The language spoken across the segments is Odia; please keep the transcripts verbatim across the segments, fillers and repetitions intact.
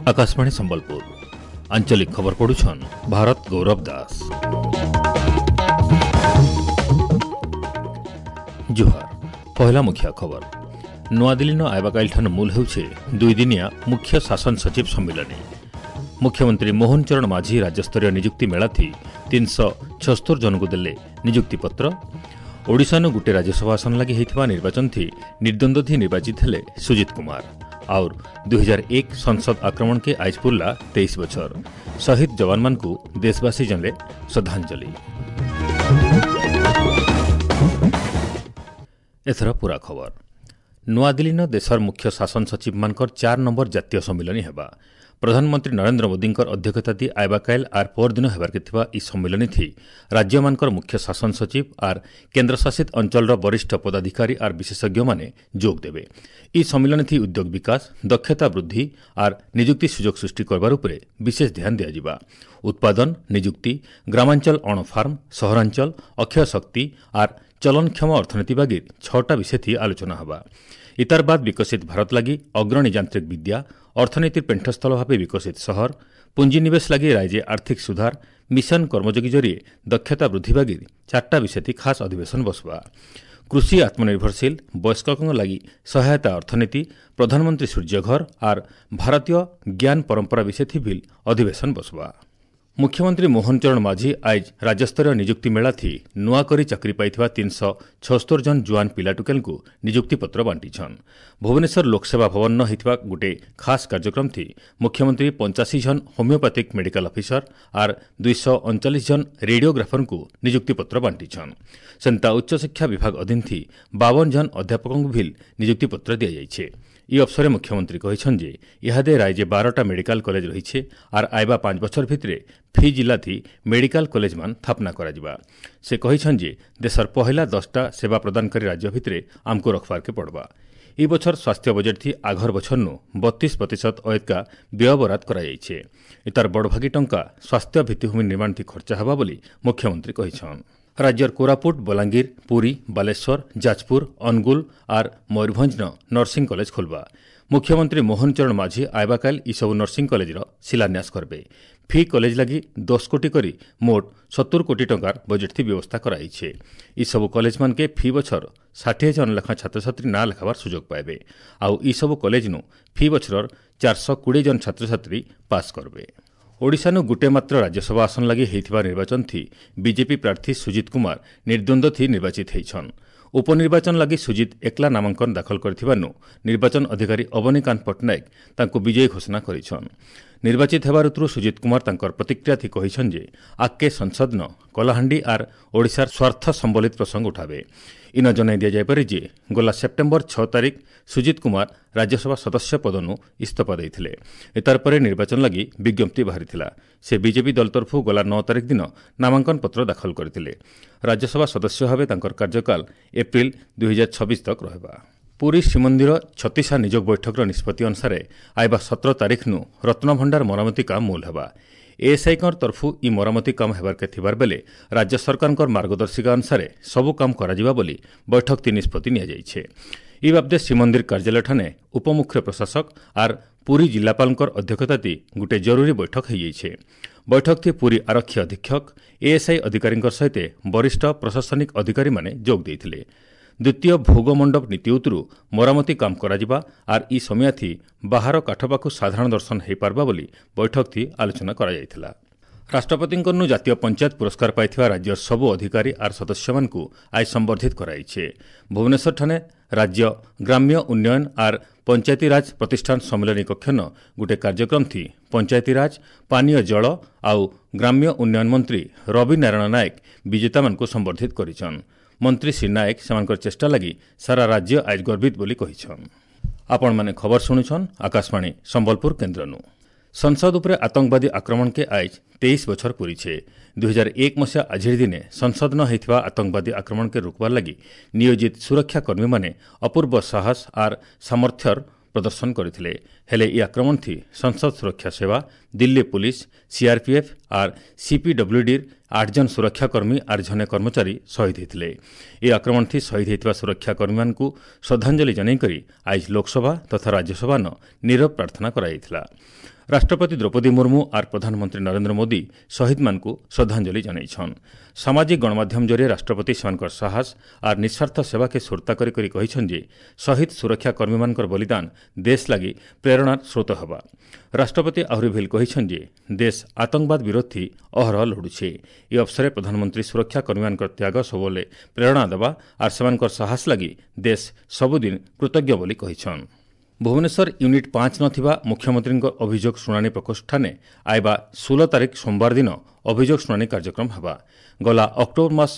Akashvani Sambalpur आंचलिक खबर पढ़ुछन भारत गौरव दास। जुहार। पहला मुख्य खबर। नୂଆଦିଲ୍ଲୀନ ଆଇବାକାଇଲଠାନ ମୂଲ ହେଉଛି ଦୁଇଦିନିଆ ମୁଖ୍ୟ ଶାସନ ସଚିବ ସମ୍ମିଳନୀ। ମୁଖ୍ୟମନ୍ତ୍ରୀ ମୋହନ ଚରଣ ମାଝୀ ରାଜ୍ୟସ୍ତରୀୟ ନିଯୁକ୍ତି ମେଳାଥି ତିନିଶହ ଛସ୍ତର ଜଣଙ୍କୁ ଦେଲେ ନିଯୁକ୍ତିପତ୍ର। ଓଡ଼ିଶାନୁ ଗୋଟିଏ ରାଜ୍ୟସଭା ଆସନ ଲାଗି ହୋଇଥିବା ନିର୍ବାଚନଥି ନିର୍ଦ୍ୱନ୍ଦ୍ୱଥି ନିର୍ବାଚିତ ହେଲେ ସୁଜିତ କୁମାର। और दुई हजार एक संसद आक्रमण के आज पुरला तेईस बछर। शहीद जवान मानकु देशवासी जनले श्रद्धांजलि। एथर पूरा खबर। नୂଆଦିଲ୍ଲୀନ ଦେଶର ମୁଖ୍ୟ ଶାସନ ସଚିବମାନଙ୍କର ଚାର ନମ୍ବର ଜାତୀୟ ସମ୍ମିଳନୀ ହେବା। ପ୍ରଧାନମନ୍ତ୍ରୀ ନରେନ୍ଦ୍ର ମୋଦୀଙ୍କର ଅଧ୍ୟକ୍ଷତା ଦି ଆଇବାକାଇଲ ଆର୍ ପରଦିନ ହେବାର୍କେ ଥିବା ଇ ସମ୍ମିଳନୀ ଥି ରାଜ୍ୟମାନଙ୍କର ମୁଖ୍ୟ ଶାସନ ସଚିବ ଆର୍ କେନ୍ଦ୍ରଶାସିତ ଅଞ୍ଚଳର ବରିଷ୍ଠ ପଦାଧିକାରୀ ଆର୍ ବିଶେଷଜ୍ଞମାନେ ଯୋଗ ଦେବେ। ଇ ସମ୍ମିଳନୀ ଥି ଉଦ୍ୟୋଗ ବିକାଶ, ଦକ୍ଷତା ବୃଦ୍ଧି ଆର୍ ନିଯୁକ୍ତି ସୁଯୋଗ ସୃଷ୍ଟି କରବାର ଉପରେ ବିଶେଷ ଧ୍ୟାନ ଦିଆଯିବା। ଉତ୍ପାଦନ, ନିଯୁକ୍ତି, ଗ୍ରାମାଞ୍ଚଳ ଅଣଫାର୍ମ, ସହରାଞ୍ଚଳ, ଅକ୍ଷୟ ଶକ୍ତି ଆର୍ ଚଲନକ୍ଷମ ଅର୍ଥନୀତି ବାଗି ଛଅଟା ବିଷୟ ଥି ଆଲୋଚନା ହେବା। ଇତାର ବାଦ ବିକଶିତ ଭାରତ ଲାଗି ଅଗ୍ରଣୀ ଯାନ୍ତ୍ରିକ ବିଦ୍ୟା, ଅର୍ଥନୀତିର ପେଣ୍ଠସ୍ଥଳ ଭାବେ ବିକଶିତ ସହର, ପୁଞ୍ଜିନିବେଶ ଲାଗି ରାଜ୍ୟ ଆର୍ଥିକ ସୁଧାର, ମିଶନ କର୍ମଯୋଗୀ ଜରିଏ ଦକ୍ଷତା ବୃଦ୍ଧି ବାଗି ଚାରିଟା ବିଷୟ ଥି ଖାସ୍ ଅଧିବେଶନ ବସବା। କୃଷି ଆତ୍ମନିର୍ଭରଶୀଳ, ବୟସ୍କଙ୍କ ଲାଗି ସହାୟତା ଅର୍ଥନୀତି, ପ୍ରଧାନମନ୍ତ୍ରୀ ସୂର୍ଯ୍ୟଘର ଆର୍ ଭାରତୀୟ ଜ୍ଞାନ ପରମ୍ପରା ବିଷୟ ଥି ବିଲ୍ ଅଧିବେଶନ ବସବା। ମୁଖ୍ୟମନ୍ତ୍ରୀ ମୋହନ ଚରଣ ମାଝୀ ଆଇଜ ରାଜ୍ୟସ୍ତରୀୟ ନିଯୁକ୍ତି ମେଳାଥି ନୂଆ କରି ଚାକିରି ପାଇଥିବା ତିନିଶହ ଛସ୍ତର ଜଣ ଜୁଆନ ପିଲାଟୁକେଲଙ୍କୁ ନିଯୁକ୍ତିପତ୍ର ବାଣ୍ଟିଛନ୍। ଭୁବନେଶ୍ୱର ଲୋକସେବା ଭବନ ହୋଇଥିବା ଗୋଟିଏ ଖାସ୍ କାର୍ଯ୍ୟକ୍ରମଥି ମୁଖ୍ୟମନ୍ତ୍ରୀ ପଞ୍ଚାଅଶୀ ଜଣ ହୋମିଓପାଥିକ୍ ମେଡିକାଲ ଅଫିସର ଆର୍ ଦୁଇଶହ ଅଣଚାଳିଶ ଜଣ ରେଡିଓଗ୍ରାଫରଙ୍କୁ ନିଯୁକ୍ତିପତ୍ର ବାଣ୍ଟିଛନ୍। ସେନ୍ତା ଉଚ୍ଚଶିକ୍ଷା ବିଭାଗ ଅଧୀନଥି ବାବନ ଜଣ ଅଧ୍ୟାପକଙ୍କୁ ଭିଲ୍ ନିଯୁକ୍ତିପତ୍ର ଦିଆଯାଇଛି। ଇ ଅବସରେ ମୁଖ୍ୟମନ୍ତ୍ରୀ କହିଛନ୍ତି ଯେ ଇହାଦେ ରାଜ୍ୟ ବାରଟା ମେଡିକାଲ କଲେଜ ରହିছে ଆର୍ ଆଇବା ପାଞ୍ଚ ବଛର ଭିତରେ ଫି ଜିଲ୍ଲାଥି ମେଡିକାଲ କଲେଜମାନ ସ୍ଥାପନା କରାଯିବା। ସେ କହିଛନ୍ତି ଯେ ଦେଶର ପହିଲା ଦଶଟା ସେବା ପ୍ରଦାନକାରୀ ରାଜ୍ୟ ଭିତରେ ଆମକୁ ରଖବାର୍କେ ପଡ଼ବା। ଇ ବଛର ସ୍ୱାସ୍ଥ୍ୟ ବଜେଟ୍ ଥି ଆଘର ବଛରନୁ ବତିଶ ପ୍ରତିଶତ ଅୟତ୍କା ବ୍ୟୟ ବରାଦ କରାଯାଇଛେ। ଏତାର ବଡ଼ଭାଗୀ ଟଙ୍କା ସ୍ୱାସ୍ଥ୍ୟ ଭିତ୍ତିଭୂମି ନିର୍ମାଣ ଥି ଖର୍ଚ୍ଚ ହେବା ବୋଲି ମୁଖ୍ୟମନ୍ତ୍ରୀ କହିଛନ୍। ରାଜ୍ୟର କୋରାପୁଟ, ବଲାଙ୍ଗୀର, ପୁରୀ, ବାଲେଶ୍ୱର, ଯାଜପୁର, ଅନୁଗୁଳ ଆର୍ ମୟୂରଭଞ୍ଜନ ନର୍ସିଂ କଲେଜ ଖୋଲବା। ମୁଖ୍ୟମନ୍ତ୍ରୀ ମୋହନ ଚରଣ ମାଝୀ ଆଇବାକାଇଲ ଇସବୁ ନର୍ସିଂ କଲେଜର ଶିଳାନ୍ୟାସ କରିବେ। ଫି କଲେଜ ଲାଗି ଦଶ କୋଟି କରି ମୋଟ ସତୁର କୋଟି ଟଙ୍କାର ବଜେଟ୍ ଥି ବ୍ୟବସ୍ଥା କରାଯାଇଛି। ଇସବୁ କଲେଜମାନକେ ଫି ବଛର ଷାଠିଏ ଜଣ ଲେଖା ଛାତ୍ରଛାତ୍ରୀ ନାଁ ଲେଖାବାର ସୁଯୋଗ ପାଇବେ। ଆଉ ଇସବୁ କଲେଜନୁ ଫି ବଛରର ଚାରିଶହ କୋଡ଼ିଏ ଜଣ ଛାତ୍ରଛାତ୍ରୀ ପାସ୍ କରିବେ। ଓଡ଼ିଶାନୁ ଗୋଟିଏ ମାତ୍ର ରାଜ୍ୟସଭା ଆସନ ଲାଗି ହୋଇଥିବା ନିର୍ବାଚନଥି ବିଜେପି ପ୍ରାର୍ଥୀ ସୁଜିତ କୁମାର ନିର୍ଦ୍ୱନ୍ଦ୍ୱଥି ନିର୍ବାଚିତ ହୋଇଛନ୍। ଉପନିର୍ବାଚନ ଲାଗି ସୁଜିତ ଏକଲା ନାମାଙ୍କନ ଦାଖଲ କରିଥିବାରୁ ନିର୍ବାଚନ ଅଧିକାରୀ ଅବନୀକାନ୍ତ ପଟ୍ଟନାୟକ ତାଙ୍କୁ ବିଜୟୀ ଘୋଷଣା କରିଛନ୍। ନିର୍ବାଚିତ ହେବାର ଋତୁରୁ ସୁଜିତ କୁମାର ତାଙ୍କର ପ୍ରତିକ୍ରିୟା କହିଛନ୍ ଯେ ଆଗକେ ସଂସଦନ କଳାହାଣ୍ଡି ଆର୍ ଓଡ଼ିଶାର ସ୍ୱାର୍ଥ ସମ୍ବଳିତ ପ୍ରସଙ୍ଗ ଉଠାବେ। ଇନ ଜଣାଇ ଦିଆଯାଇପାରେ ଯେ ଗଲା ସେପ୍ଟେମ୍ବର ଛଅ ତାରିଖ ସୁଜିତ କୁମାର ରାଜ୍ୟସଭା ସଦସ୍ୟ ପଦନୁ ଇସ୍ତଫା ଦେଇଥିଲେ। ଏତାର ପରେ ନିର୍ବାଚନ ଲାଗି ବିଜ୍ଞପ୍ତି ବାହାରିଥିଲା। ସେ ବିଜେପି ଦଳ ତରଫରୁ ଗଲା ନଅ ତାରିଖ ଦିନ ନାମାଙ୍କନ ପତ୍ର ଦାଖଲ କରିଥିଲେ। ରାଜ୍ୟସଭା ସଦସ୍ୟ ଭାବେ ତାଙ୍କର କାର୍ଯ୍ୟକାଳ ଏପ୍ରିଲ ଦୁଇ ହଜାର ଛବିଶ ତକ ରହିବା। ପୁରୀ ଶ୍ରୀମନ୍ଦିର ଛତିଶା ନିଯୋଗ ବୈଠକର ନିଷ୍ପତ୍ତି ଅନୁସାରେ ଆଇବା ସତର ତାରିଖନୁ ରତ୍ନଭଣ୍ଡାର ମରାମତି କାମ ମୂଲ ହେବା। ଏଏସ୍ଆଇଙ୍କ ତରଫୁ ଇ ମରାମତି କାମ ହେବାର୍କେ ଥିବାର ବେଲେ ରାଜ୍ୟ ସରକାରଙ୍କ ମାର୍ଗଦର୍ଶିକା ଅନୁସାରେ ସବୁ କାମ କରାଯିବା ବୋଲି ବୈଠକଟି ନିଷ୍ପତ୍ତି ନିଆଯାଇଛି। ଇ ବାବଦେ ଶ୍ରୀମନ୍ଦିର କାର୍ଯ୍ୟାଳୟଠାନେ ଉପମୁଖ୍ୟ ପ୍ରଶାସକ ଆର୍ ପୁରୀ ଜିଲ୍ଲାପାଳଙ୍କର ଅଧ୍ୟକ୍ଷତାତି ଗୋଟିଏ ଜରୁରୀ ବୈଠକ ହୋଇଯାଇଛି। ବୈଠକଟି ପୁରୀ ଆରକ୍ଷୀ ଅଧୀକ୍ଷକ, ଏଏସ୍ଆଇ ଅଧିକାରୀଙ୍କ ସହିତ ବରିଷ୍ଠ ପ୍ରଶାସନିକ ଅଧିକାରୀମାନେ ଯୋଗ ଦେଇଥିଲେ। ଦ୍ୱିତୀୟ ଭୋଗ ମଣ୍ଡପ ନୀତି ଉତରୁ ମରାମତି କାମ କରାଯିବା ଆର୍ ଇ ସମୟାଥି ବାହାର କାଠ ପାଖକୁ ସାଧାରଣ ଦର୍ଶନ ହୋଇପାରବା ବୋଲି ବୈଠକଥି ଆଲୋଚନା କରାଯାଇଥିଲା। ରାଷ୍ଟ୍ରପତିଙ୍କନୁ ଜାତୀୟ ପଞ୍ଚାୟତ ପୁରସ୍କାର ପାଇଥିବା ରାଜ୍ୟର ସବୁ ଅଧିକାରୀ ଆର୍ ସଦସ୍ୟମାନଙ୍କୁ ଆଜି ସମ୍ବର୍ଦ୍ଧିତ କରାଯାଇଛି। ଭୁବନେଶ୍ୱରଠାନେ ରାଜ୍ୟ ଗ୍ରାମ୍ୟ ଉନ୍ନୟନ ଆର୍ ପଞ୍ଚାୟତିରାଜ ପ୍ରତିଷ୍ଠାନ ସମ୍ମିଳନୀ କକ୍ଷନ ଗୋଟିଏ କାର୍ଯ୍ୟକ୍ରମ ଥି ପଞ୍ଚାୟତିରାଜ, ପାନୀୟ ଜଳ ଆଉ ଗ୍ରାମ୍ୟ ଉନ୍ନୟନ ମନ୍ତ୍ରୀ ରବି ନାରାୟଣ ନାୟକ ବିଜେତାମାନଙ୍କୁ ସମ୍ବର୍ଦ୍ଧିତ କରିଛନ୍। ମନ୍ତ୍ରୀ ଶ୍ରୀ ନାୟକ ସେମାନଙ୍କର ଚେଷ୍ଟା ଲାଗି ସାରା ରାଜ୍ୟ ଆଜ ଗର୍ବିତ ବୋଲି କହିଛନ୍। ଆପଣମାନେ ଖବର ଶୁଣୁଛନ୍ ଆକାଶବାଣୀ ସମ୍ବଲପୁର କେନ୍ଦ୍ରନୁ। ସଂସଦ ଉପରେ ଆତଙ୍କବାଦୀ ଆକ୍ରମଣକେ ଆଇଜ ତେଇଶ ବଛର ପୂରିଛେ। ଦୁଇ ହଜାର ଏକ ମସିହା ଆଜିର ଦିନେ ସଂସଦ ନ ହୋଇଥିବା ଆତଙ୍କବାଦୀ ଆକ୍ରମଣକେ ରୋକବାର ଲାଗି ନିୟୋଜିତ ସୁରକ୍ଷା କର୍ମୀମାନେ ଅପୂର୍ବ ସାହସ ଆର୍ ସାମର୍ଥ୍ୟର ପ୍ରଦର୍ଶନ କରିଥିଲେ। ହେଲେ ଇ ଆକ୍ରମଣ ଥି ସଂସଦ ସୁରକ୍ଷା ସେବା, ଦିଲ୍ଲୀ ପୁଲିସ, ସିଆର୍ପିଏଫ୍ ଆର୍ ସିପିଡବ୍ଲ୍ୟୁଡିର ଆଠ ଜଣ ସୁରକ୍ଷାକର୍ମୀ ଆର୍ ଜଣେ କର୍ମଚାରୀ ଶହୀଦ ହୋଇଥିଲେ। ଏହି ଆକ୍ରମଣ ଥି ଶହୀଦ ହୋଇଥିବା ସୁରକ୍ଷାକର୍ମୀମାନଙ୍କୁ ଶ୍ରଦ୍ଧାଞ୍ଜଳି ଜଣାଇକରି ଆଇଜ ଲୋକସଭା ତଥା ରାଜ୍ୟସଭାନ ନୀରବ ପ୍ରାର୍ଥନା କରାଯାଇଥିଲା। ରାଷ୍ଟ୍ରପତି ଦ୍ରୌପଦୀ ମୁର୍ମୁ ଆର୍ ପ୍ରଧାନମନ୍ତ୍ରୀ ନରେନ୍ଦ୍ର ମୋଦି ଶହୀଦମାନଙ୍କୁ ଶ୍ରଦ୍ଧାଞ୍ଜଳି ଜଣାଇଛନ୍। ସାମାଜିକ ଗଣମାଧ୍ୟମ ଜରିଏ ରାଷ୍ଟ୍ରପତି ସେମାନଙ୍କର ସାହସ ଆର୍ ନିଃସ୍ୱାର୍ଥ ସେବାକେ ସୁରତା କରି କରି କହିଛନ୍ ଯେ ଶହୀଦ ସୁରକ୍ଷାକର୍ମୀମାନଙ୍କର ବଳିଦାନ ଦେଶ ଲାଗି ପ୍ରେରଣାର ସ୍ରୋତ ହେବା। ରାଷ୍ଟ୍ରପତି ଆହୁରି ଭିଲ୍ କହିଛନ୍ ଯେ ଦେଶ ଆତଙ୍କବାଦ ବିରୋଧୀ ଅହରହ ଲଢୁଛେ। ଏହି ଅବସରରେ ପ୍ରଧାନମନ୍ତ୍ରୀ ସୁରକ୍ଷାକର୍ମୀମାନଙ୍କର ତ୍ୟାଗ ସବୁବେଳେ ପ୍ରେରଣା ଦେବା ଆର୍ ସେମାନଙ୍କର ସାହସ ଲାଗି ଦେଶ ସବୁଦିନ କୃତଜ୍ଞ ବୋଲି କହିଛନ୍। ଭୁବନେଶ୍ୱର ୟୁନିଟ୍ ପାଞ୍ଚ ନଥିବା ମୁଖ୍ୟମନ୍ତ୍ରୀଙ୍କ ଅଭିଯୋଗ ଶୁଣାଣି ପ୍ରକୋଷ୍ଠାନେ ଆଇବା ଷୋହଳ ତାରିଖ ସୋମବାର ଦିନ ଅଭିଯୋଗ ଶୁଣାଣି କାର୍ଯ୍ୟକ୍ରମ ହେବା। ଗଲା ଅକ୍ଟୋବର ମାସ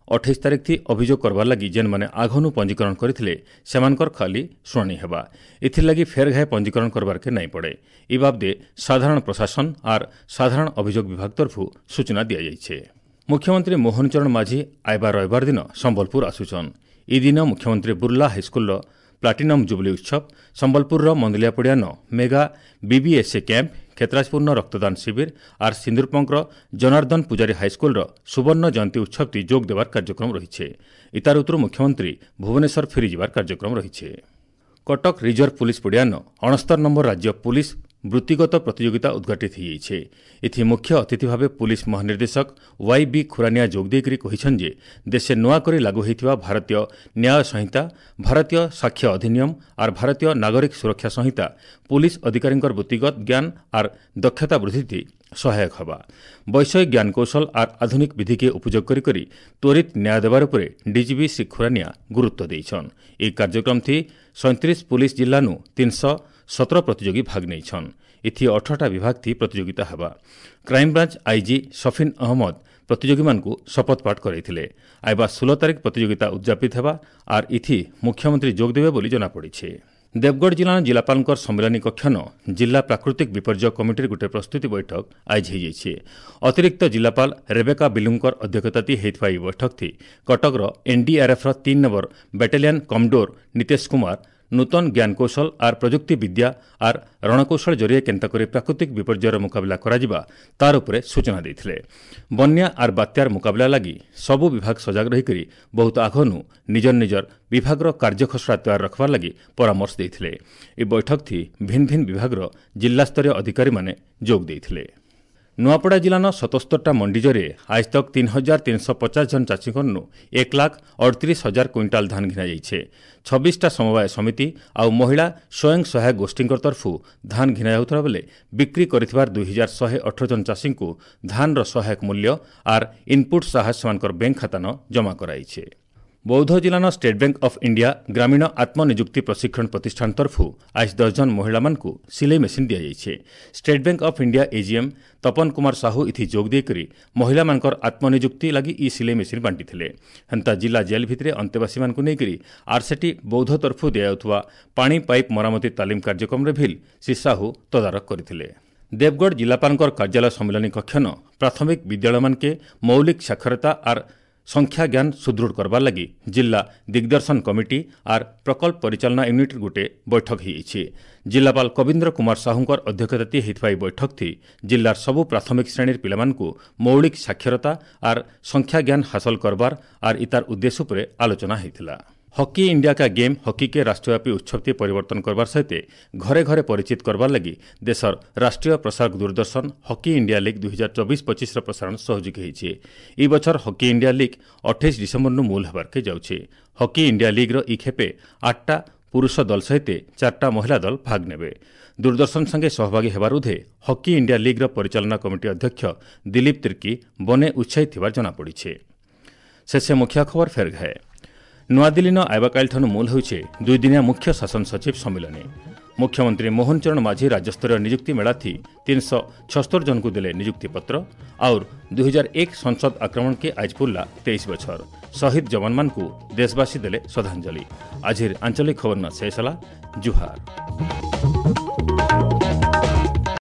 ଅଠେଇଶ ତାରିଖ ଥି ଅଭିଯୋଗ କରବାର ଲାଗି ଯେନ୍ମାନେ ଆଘନୁ ପଞ୍ଜୀକରଣ କରିଥିଲେ ସେମାନଙ୍କର ଖାଲି ଶୁଣାଣି ହେବା। ଏଥିର୍ଲାଗି ଫେର୍ ଘାଏ ପଞ୍ଜୀକରଣ କରବାର୍କେ ନାଇଁ ପଡ଼େ। ଇ ବାବଦେ ସାଧାରଣ ପ୍ରଶାସନ ଆର୍ ସାଧାରଣ ଅଭିଯୋଗ ବିଭାଗ ତରଫରୁ ସୂଚନା ଦିଆଯାଇଛେ। ମୁଖ୍ୟମନ୍ତ୍ରୀ ମୋହନ ଚରଣ ମାଝୀ ଆଇବା ରବିବାର ଦିନ ସମ୍ବଲପୁର ଆସୁଛନ୍। ଇ ଦିନ ମୁଖ୍ୟମନ୍ତ୍ରୀ ବୁର୍ଲା ହାଇସ୍କୁଲର ପ୍ଲାଟିନମ୍ ଜୁବଲି ଉତ୍ସବ, ସମ୍ବଲପୁରର ମନ୍ଦଲିଆପଡ଼ିଆନ ମେଗା ବିବିଏସ୍ଏ କ୍ୟାମ୍ପ, କ୍ଷେତ୍ରାଜପୁରର ରକ୍ତଦାନ ଶିବିର ଆର୍ ସିନ୍ଦୁରପଙ୍କର ଜନାର୍ଦ୍ଦନ ପୂଜାରୀ ହାଇସ୍କୁଲର ସୁବର୍ଣ୍ଣ ଜୟନ୍ତୀ ଉତ୍ସବଟି ଯୋଗ ଦେବାର କାର୍ଯ୍ୟକ୍ରମ ରହିছে। ଇତାର ଉତ୍ତରୁ ମୁଖ୍ୟମନ୍ତ୍ରୀ ଭୁବନେଶ୍ୱର ଫେରିଯିବାର କାର୍ଯ୍ୟକ୍ରମ ରହିছে। କଟକ ରିଜର୍ଭ ପୁଲିସ ପଡ଼ିଆନ ଅଣସ୍ତର ନମ୍ବର ରାଜ୍ୟ ପୁଲିସ ବୃତ୍ତିଗତ ପ୍ରତିଯୋଗିତା ଉଦ୍ଘାଟିତ ହୋଇଯାଇଛି। ଏଥି ମୁଖ୍ୟ ଅତିଥି ଭାବେ ପୁଲିସ ମହାନିର୍ଦ୍ଦେଶକ ୱାଇ ବି ଖୁରାନିଆ ଯୋଗ ଦେଇକରି କହିଛନ୍ତି ଯେ ଦେଶେ ନୂଆ କରି ଲାଗୁ ହୋଇଥିବା ଭାରତୀୟ ନ୍ୟାୟ ସଂହିତା, ଭାରତୀୟ ସାକ୍ଷ୍ୟ ଅଧିନିୟମ ଆର୍ ଭାରତୀୟ ନାଗରିକ ସୁରକ୍ଷା ସଂହିତା ପୁଲିସ ଅଧିକାରୀଙ୍କର ବୃତ୍ତିଗତ ଜ୍ଞାନ ଆର୍ ଦକ୍ଷତା ବୃଦ୍ଧିଥି ସହାୟକ ହେବା। ବୈଷୟିକ ଜ୍ଞାନକୌଶଳ ଆର୍ ଆଧୁନିକ ବିଧିକେ ଉପଯୋଗ କରି କରି ତ୍ୱରିତ ନ୍ୟାୟ ଦେବାର ଉପରେ ଡିଜିପି ଶ୍ରୀ ଖୁରାନିଆ ଗୁରୁତ୍ୱ ଦେଇଛନ୍। ଏହି କାର୍ଯ୍ୟକ୍ରମଥି ସଇଁତିରିଶ ପୁଲିସ ଜିଲ୍ଲାନୁ ତିନିଶହ ସତର ପ୍ରତିଯୋଗୀ ଭାଗ ନେଇଛନ୍। ଏଥି ଅଠରଟା ବିଭାଗ ଥି ପ୍ରତିଯୋଗିତା ହେବା। କ୍ରାଇମବ୍ରାଞ୍ଚ ଆଇଜି ସଫିନ୍ ଅହମ୍ମଦ ପ୍ରତିଯୋଗୀମାନଙ୍କୁ ଶପଥପାଠ କରାଇଥିଲେ। ଆଇବା ଷୋହଳ ତାରିଖ ପ୍ରତିଯୋଗିତା ଉଦ୍ଯାପିତ ହେବା ଆର୍ ଇଥି ମୁଖ୍ୟମନ୍ତ୍ରୀ ଯୋଗ ଦେବେ ବୋଲି ଜଣାପଡ଼ିছে। ଦେବଗଡ଼ ଜିଲ୍ଲାର ଜିଲ୍ଲାପାଳଙ୍କର ସମ୍ମିଳନୀ କକ୍ଷନ ଜିଲ୍ଲା ପ୍ରାକୃତିକ ବିପର୍ଯ୍ୟୟ କମିଟିର ଗୋଟିଏ ପ୍ରସ୍ତୁତି ବୈଠକ ଆଇଜ ହୋଇଯାଇଛି। ଅତିରିକ୍ତ ଜିଲ୍ଲାପାଳ ରେବେକା ବିଲୁଙ୍କର ଅଧ୍ୟକ୍ଷତାତି ହୋଇଥିବା ଏହି ବୈଠକଥି କଟକର ଏନ୍ଡିଆର୍ଏଫ୍ର ତିନି ନମ୍ବର ବାଟାଲିୟନ କମଡୋର ନିତେଶ କୁମାର ନୂତନ ଜ୍ଞାନକୌଶଳ ଆର୍ ପ୍ରଯୁକ୍ତି ବିଦ୍ୟା ଆର୍ ରଣକୌଶଳ ଜରିଏ କେନ୍ତା କରି ପ୍ରାକୃତିକ ବିପର୍ଯ୍ୟୟର ମୁକାବିଲା କରାଯିବା ତାର ଉପରେ ସୂଚନା ଦେଇଥିଲେ। ବନ୍ୟା ଆର୍ ବାତ୍ୟାର ମୁକାବିଲା ଲାଗି ସବୁ ବିଭାଗ ସଜାଗ ରହିକରି ବହୁତ ଆଘନୁ ନିଜର ନିଜର ବିଭାଗର କାର୍ଯ୍ୟଖସଡ଼ା ତୟାର ରଖବାର ଲାଗି ପରାମର୍ଶ ଦେଇଥିଲେ। ଏହି ବୈଠକଥି ଭିନ୍ନ ଭିନ୍ନ ବିଭାଗର ଜିଲ୍ଲାସ୍ତରୀୟ ଅଧିକାରୀମାନେ ଯୋଗ ଦେଇଥିଲେ। ନୂଆପଡ଼ା ଜିଲ୍ଲାର ସତସ୍ତରଟା ମଣ୍ଡି ଜରିଏ ଆଜ ତକ୍ ତିନି ହଜାର ତିନିଶହ ପଚାଶ ଜଣ ଚାଷୀଙ୍କନୁ ଏକ ଲାଖ ଅଠତିରିଶ ହଜାର କୁଇଣ୍ଟାଲ ଧାନ ଘିନାଯାଇଛେ। ଛବିଶଟା ସମବାୟ ସମିତି ଆଉ ମହିଳା ସ୍ୱୟଂ ସହାୟକ ଗୋଷ୍ଠୀଙ୍କ ତରଫରୁ ଧାନ ଘିନା ଯାଉଥିବା ବେଲେ ବିକ୍ରି କରିଥିବାର ଦୁଇ ହଜାର ଶହେ ଅଠର ଜଣ ଚାଷୀଙ୍କୁ ଧାନର ସହାୟକ ମୂଲ୍ୟ ଆର୍ ଇନ୍ପୁଟ୍ ସାହାଯ୍ୟ ସେମାନଙ୍କର ବ୍ୟାଙ୍କ ଖାତାନ ଜମା କରାଇছে। ବୌଦ୍ଧ ଜିଲ୍ଲାର ଷ୍ଟେଟ୍ ବ୍ୟାଙ୍କ ଅଫ୍ ଇଣ୍ଡିଆ ଗ୍ରାମୀଣ ଆତ୍ମନିଯୁକ୍ତି ପ୍ରଶିକ୍ଷଣ ପ୍ରତିଷ୍ଠାନ ତରଫରୁ ଆଜ ଦଶ ଜଣ ମହିଳାମାନଙ୍କୁ ସିଲେଇ ମେସିନ୍ ଦିଆଯାଇଛି। State bank of India AGM Tapan Kumar Sahu ଇଥି ଯୋଗ ଦେଇକରି ମହିଳାମାନଙ୍କର ଆତ୍ମନିଯୁକ୍ତି ଲାଗି ଇ ସିଲେଇ ମେସିନ୍ ବାଣ୍ଟିଥିଲେ। ହେନ୍ତା ଜିଲ୍ଲା ଜେଲ୍ ଭିତରେ ଅନ୍ତେବାସୀମାନଙ୍କୁ ନେଇକରି ଆର୍ସେଟି ବୌଦ୍ଧ ତରଫରୁ ଦିଆଯାଉଥିବା ପାଣି ପାଇପ୍ ମରାମତି ତାଲିମ କାର୍ଯ୍ୟକ୍ରମରେ ଭିଲ୍ ଶ୍ରୀ ସାହୁ ତଦାରଖ କରିଥିଲେ। ଦେବଗଡ଼ ଜିଲ୍ଲାପାଳଙ୍କର କାର୍ଯ୍ୟାଳୟ ସମ୍ମିଳନୀ କକ୍ଷନ ପ୍ରାଥମିକ ବିଦ୍ୟାଳୟମାନକେ ମୌଳିକ ସାକ୍ଷରତା ଆର୍ ସଂଖ୍ୟା ଜ୍ଞାନ ସୁଦୃଢ଼ କରବାର ଲାଗି ଜିଲ୍ଲା ଦିଗ୍ଦର୍ଶନ କମିଟି ଆର୍ ପ୍ରକଳ୍ପ ପରିଚାଳନା ୟୁନିଟ୍ର ଗୋଟିଏ ବୈଠକ ହୋଇଯାଇଛି। ଜିଲ୍ଲାପାଳ କବୀନ୍ଦ୍ର କୁମାର ସାହୁଙ୍କର ଅଧ୍ୟକ୍ଷତାତି ହୋଇଥିବା ଏହି ବୈଠକଥି ଜିଲ୍ଲାର ସବୁ ପ୍ରାଥମିକ ଶ୍ରେଣୀର ପିଲାମାନଙ୍କୁ ମୌଳିକ ସାକ୍ଷରତା ଆର୍ ସଂଖ୍ୟା ଜ୍ଞାନ ହାସଲ କରବାର ଆର୍ ଇତାର ଉଦ୍ଦେଶ୍ୟ ଉପରେ ଆଲୋଚନା ହୋଇଥିଲା। हॉकी इंडिया का गेम हॉकी के राष्ट्रव्यापी उत्सव ती परिवर्तन करवार सहित घरे घरे परिचित करवार लगी देशर राष्ट्रीय प्रसारक दूरदर्शन हॉकी इंडिया लीग दुई हजार चौबीस पचिश प्रसारण सहयोगी होइছে। এই বছর হকি ইন্ডিয়া लीग अठाईस डिसेम्बर नु मूल हेबार के जाउछे। हॉकी इंडिया लीग ର ଇ ଖେପେ आठटा पुरुष दल सहित चारटा महिला दल भाग नेବେ। दूरदर्शन संगे सहभागी हेबार उधे हॉकी इंडिया लीग ର परिचालना कमिटी अध्यक्ष दिलीप तिर्की बने उत्साहित थिबार जना पडिছে। शेषे मुख्य खबर फेर घाए। ନୂଆଦିଲ୍ଲୀନ ଆଇବାକାଲିଠାରୁ ମୂଲ ହେଉଛି ଦୁଇଦିନିଆ ମୁଖ୍ୟ ଶାସନ ସଚିବ ସମ୍ମିଳନୀ। ମୁଖ୍ୟମନ୍ତ୍ରୀ ମୋହନ ଚରଣ ମାଝୀ ରାଜ୍ୟସ୍ତରୀୟ ନିଯୁକ୍ତି ମେଳାଥି ତିନିଶହ ଛସ୍ତର ଜଣଙ୍କୁ ଦେଲେ ନିଯୁକ୍ତିପତ୍ର। ଆଉର ଦୁଇ ହଜାର ଏକ ସଂସଦ ଆକ୍ରମଣକେ ଆଜ ପୁରଲା ତେଇଶ ବଛର। ଶହୀଦ ଯବାନମାନଙ୍କୁ ଦେଶବାସୀ ଦେଲେ ଶ୍ରଦ୍ଧାଞ୍ଜଳି। ଆଜିର ଆଞ୍ଚଳିକ ଖବର ଶେଷ ହେଲା। ଜୁହାର।